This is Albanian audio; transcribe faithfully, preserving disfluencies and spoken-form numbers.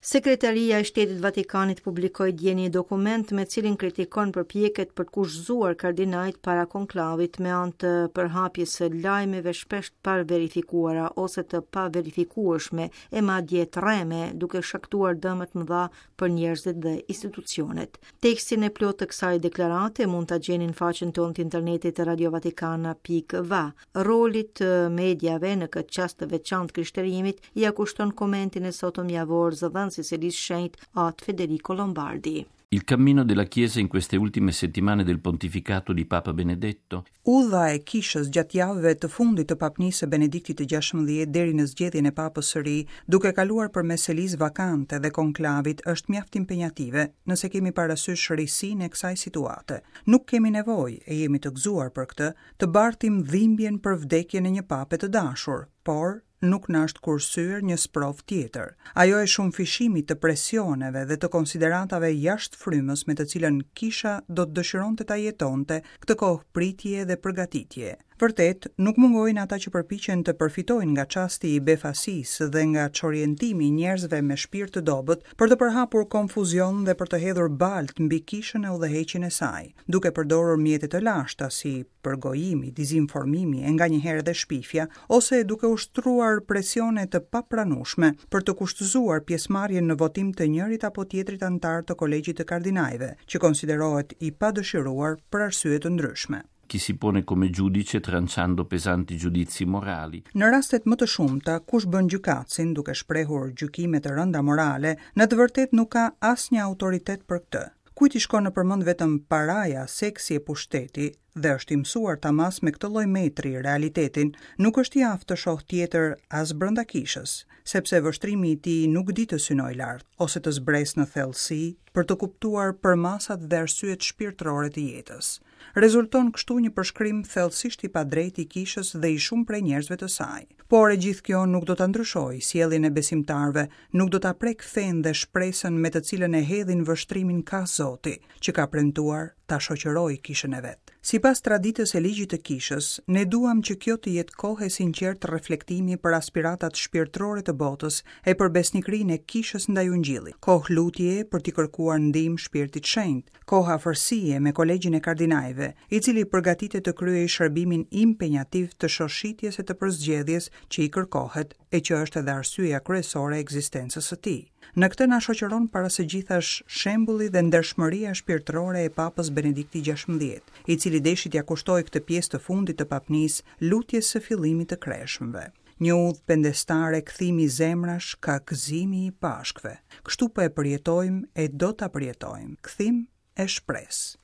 Sekretaria e Shtetit Vatikanit publikoi dje një dokument me cilin kritikon përpjekjet për të kushtëzuar kardinajt para konklavit me anë të përhapjes së lajmeve shpesh të paverifikuara ose të paverifikueshme e madje të rreme, duke shkaktuar dëme të mëdha për njerëzit dhe institucionet. Tekstin e plotë të kësaj deklarate mund ta gjeni në faqen tonë të internetit radiovatikana pikë va. Rolit të mediave në këtë çast të veçantë krishterimit ia kushton komentin e sotëm javor zëdhënësi i Selisë Shenjtë, At Federico Lombardi. Il cammino della Chiesa in queste ultime settimane del pontificato di Papa Benedetto. Udha e kishës gjatë javëve të fundit të papnisë së Benediktit të gjashtëmbëdhjetë deri në zgjedhjen e papës së ri, duke kaluar përmes selisë vakante dhe konklavit, është mjaft impenjative, nëse kemi parasysh risinë e kësaj situate. Nuk kemi nevojë, e jemi të gëzuar për këtë, të bartim dhimbjen për vdekjen e një pape të dashur, por nuk na është kursyer një sprovë tjetër. Ajo e shumëfishimit të presioneve dhe të konsideratave jashtë frymës me të cilën kisha do të dëshironte ta jetonte këtë kohë pritje dhe përgatitje. Vërtet, nuk mungojnë ata që përpiqen të përfitojnë nga çasti i befasisë dhe nga çorientimi i njerëzve me shpirt të dobët për të përhapur konfuzion dhe për të hedhur balt mbi kishën e udhëheqjen e saj, duke përdorur mjete të lashta si përgojimi, dezinformimi e nganjëherë edhe shpifja, ose duke ushtruar presione të papranueshme për të kushtëzuar pjesëmarrjen në votim të njërit apo tjetrit anëtar të Kolegjit të Kardinajve, që konsiderohet i padëshiruar për arsye të ndryshme. Chi si pone come giudice tranciando pesanti giudizi morali. Në rastet më të shumta, kush bën gjykatësin duke shprehur gjykime të rënda morale, në të vërtetë nuk ka asnjë autoritet për këtë. Kujt i shkon nëpër mend vetëm paraja, seksi e pushteti dhe është i mësuar ta mas me këtë lloj metri realitetin, nuk është i aftë të shohë tjetër as brenda kishës, sepse vështrimi i tij nuk di të synojë lart ose të zbresë në thellësi për të kuptuar përmasat dhe arsyet shpirtërore të jetës. Rezulton kështu një përshkrim thellësisht i padrejtë i kishës dhe i shumë prej njerëzve të saj. Por e gjithë kjo nuk do ta ndryshojë sjelljen e besimtarëve, nuk do ta prek fenë dhe shpresën me të cilën e hedhin vështrimin ka Zoti, që ka premtuar ta shoqërojë kishën e vet. Sipas traditës e ligjit të kishës, ne duam që kjo të jetë kohë e sinqertë reflektimi për aspiratat shpirtërore të botës e për besnikërinë e kishës ndaj Ungjillit. Kohë lutje për t'i kërkuar ndihmë Shpirtit Shenjt, kohë afërsie me Kolegjin e Kardinajve, i cili përgatitet të kryejë shërbimin impenjativ të shoshitjes e të përzgjedhjes që i kërkohet e që është edhe arsyeja kryesore e ekzistencës së tij. Në këtë na shoqëron para së gjithash shembulli dhe ndershmëria shpirtërore e Papës Benedikti gjashtëmbëdhjetë, i cili deshi t'ia kushtojë këtë pjesë të fundit të papnisë lutjes së fillimit të kreshmëve. Një udhë pendestare kthimi zemrash ka gëzimi i Pashkëve. Kështu po e përjetojmë e do ta përjetojmë. Kthim e shpresë.